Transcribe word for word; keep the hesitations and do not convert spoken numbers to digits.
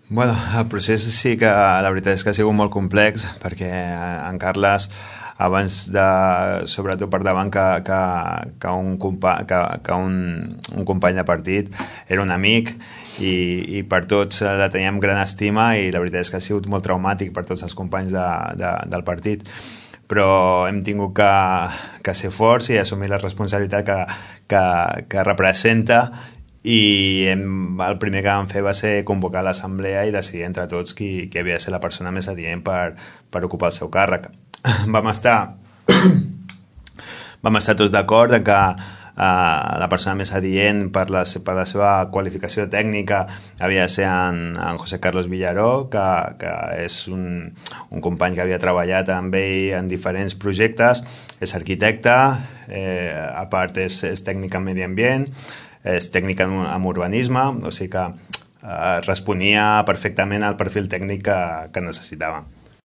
Bueno, el procés sí que la veritat és que ha sigut molt complex perquè en Carles abans de, sobretot per davant que, que, que, un, compa, que, que un, un company de partit era un amic i, i per tots la teníem gran estima i la veritat és que ha sigut molt traumàtic per tots els companys de, de, del partit, però hem tingut que, que ser forts i assumir la responsabilitat que, que, que representa i hem, el primer que vam fer va ser convocar l'assemblea i decidir entre tots qui, qui havia de ser la persona més adient per, per ocupar el seu càrrec. Vam estar vam estar tots d'acord en que uh, la persona més adient per la, per la seva qualificació tècnica havia de ser en, en José Carlos Villaró, que, que és un, un company que havia treballat amb ell en diferents projectes, és arquitecte, eh, a part és, és tècnic en medi ambient, és tècnic en, en urbanisme, o sigui que eh, responia perfectament al perfil tècnic que, que necessitava.